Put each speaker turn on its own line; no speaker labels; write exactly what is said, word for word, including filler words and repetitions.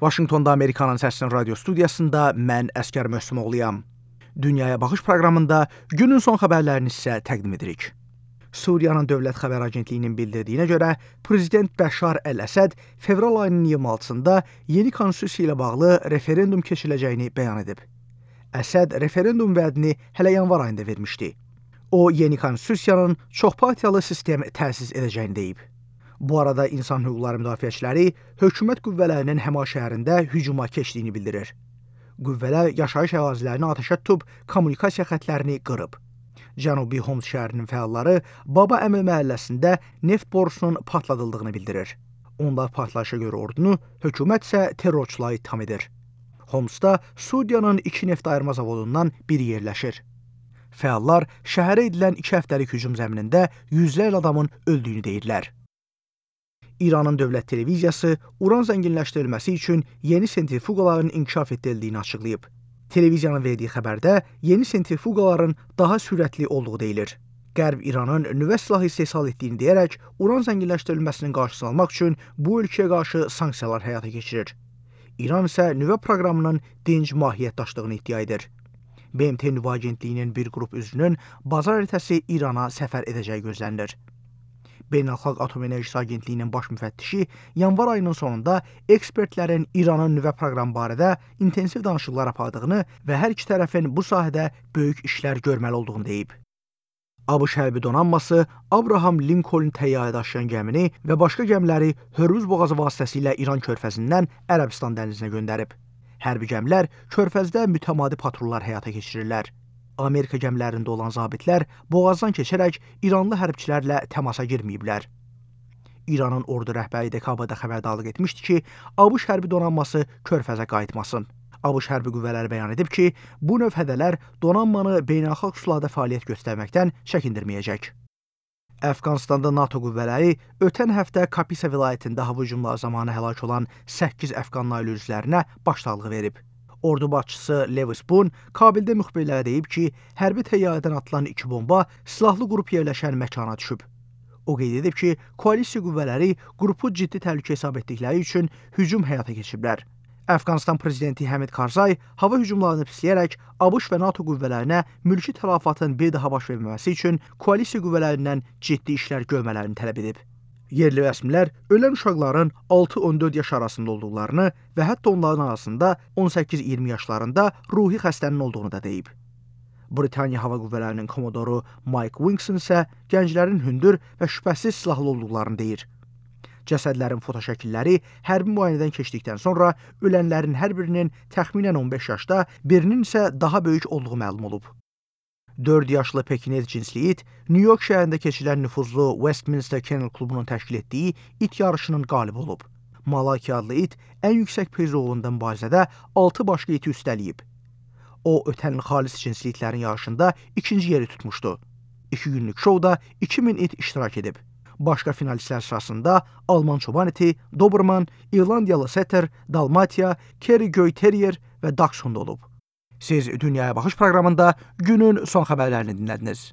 Vaşinqtonda Amerikanın Səsinin radio studiyasında mən Əskər Möhsümoğluyam. Dünyaya Baxış proqramında günün son xəbərlərini sizə təqdim edirik. Suriyanın Dövlət Xəbər Agentliyinin bildirdiyinə görə, Prezident Bəşar Əl-Əsəd fevral ayının iyirmi altısında yeni konstitusiya ilə bağlı referendum keçiriləcəyini bəyan edib. Əsəd referendum vədini hələ yanvar ayında vermişdi. O, yeni konstitusiyanın çoxpartiyalı sistem təsis edəcəyini deyib. Bu arada insan hüquqları müdafiəçiləri hökumət qüvvələrinin Həma şəhərində hücuma keçdiyini bildirir. Qüvvələr yaşayış ərazilərini atəşə tutub, kommunikasiya xətlərini qırıb. Cənubi Homs şəhərinin fəalları Baba Əmil məhəlləsində neft borusunun partladıldığını bildirir. Onlar partlayışa görə ordunu, hökumət isə terrorçuları ittiham edir. Homsda Suriyanın iki neft ayırma zavodundan biri yerləşir. Fəallar şəhərə edilən iki həftəlik hücum zəminində yüzlərlə adamın öldüyünü deyirlər. İranın dövlət televiziyası uran zənginləşdirilməsi üçün yeni sentrifuqaların inkişaf etdirildiyini açıqlayıb. Televiziyanın verdiyi xəbərdə yeni sentrifuqaların daha sürətli olduğu deyilir. Qərb İranın nüvə silahı istehsal etdiyini deyərək, uran zənginləşdirilməsinin qarşısını almaq üçün bu ölkəyə qarşı sanksiyalar həyata keçirir. İran isə nüvə proqramının dinc mahiyyət daşıdığını iddia edir. B M T Nüvə Agentliyinin bir qrup üzvünün bazar ertəsi İrana səfər edəcəyi gözlənilir. Beynəlxalq Atom Enerjisi Agentliyinin baş müfəttişi yanvar ayının sonunda ekspertlərin İranın nüvə proqramı barədə intensiv danışıqlar apardığını və hər iki tərəfin bu sahədə böyük işlər görməli olduğunu deyib. ABŞ hərbi donanması Abraham Lincoln təyyarə daşıyan gəmini və başqa gəmiləri Hörmüz boğazı vasitəsilə İran körfəzindən Ərəbistan dənizinə göndərib. Hərbi gəmilər körfəzdə mütəmadi patrullar həyata keçirirlər. Amerika gəmilərində olan zabitlər boğazdan keçərək İranlı hərbçilərlə təmasa girməyiblər. İranın ordu rəhbəri dekabrda xəbərdarlıq etmişdi ki, ABŞ hərbi donanması körfəzə qayıtmasın. ABŞ hərbi qüvvələri bəyan edib ki, bu növ hədələr donanmanı beynəlxalq sularda fəaliyyət göstərməkdən çəkindirməyəcək. Əfqanistanda NATO qüvvələri ötən həftə Kapisa vilayətində hava hücumları zamanı həlak olan səkkiz Əfqan ailə üzvlərinə başsağlığı verib. Ordu başçısı Lewis Boone Kabildə müxbirlərə deyib ki, hərbi təyyarədən atılan iki bomba silahlı qrup yerləşən məkana düşüb. O qeyd edib ki, koalisiya qüvvələri qrupu ciddi təhlükə hesab etdikləri üçün hücum həyata keçiblər. Əfqanistan prezidenti Həmid Karzay hava hücumlarını pisləyərək ABŞ və NATO qüvvələrinə mülki tələfatın bir daha baş verməməsi üçün koalisiya qüvvələrindən ciddi işlər görmələrini tələb edib. Yerli rəsmilər ölən uşaqların altı on dörd yaş arasında olduqlarını və hətta onların arasında on səkkiz iyirmi yaşlarında ruhi xəstənin olduğunu da deyib. Britaniya Hava Qüvvələrinin komodoru Mike Winston isə gənclərin hündür və şübhəsiz silahlı olduqlarını deyir. Cəsədlərin fotoşəkilləri hərbi müayinədən keçdikdən sonra ölənlərin hər birinin təxminən on beş yaşda, birinin isə daha böyük olduğu məlum olub. dörd yaşlı Pekinez cinsli it, New York şəhərində keçirilən nüfuzlu Westminster Kennel klubunun təşkil etdiyi it yarışının qalibi olub. Malaki adlı it ən yüksək priz uğrunda mübarizədə altı başqa iti üstələyib. O, ötən il xalis cinsli itlərin yarışında ikinci yeri tutmuşdu. İki günlük şovda iki min it iştirak edib. Başqa finalistlər sırasında Alman çoban iti, Doberman, İrlandiyalı Setter, Dalmatia, Kerry Göy Terrier və Dachshund olub. Siz Dünyaya Baxış proqramında günün son xəbərlərini dinlədiniz.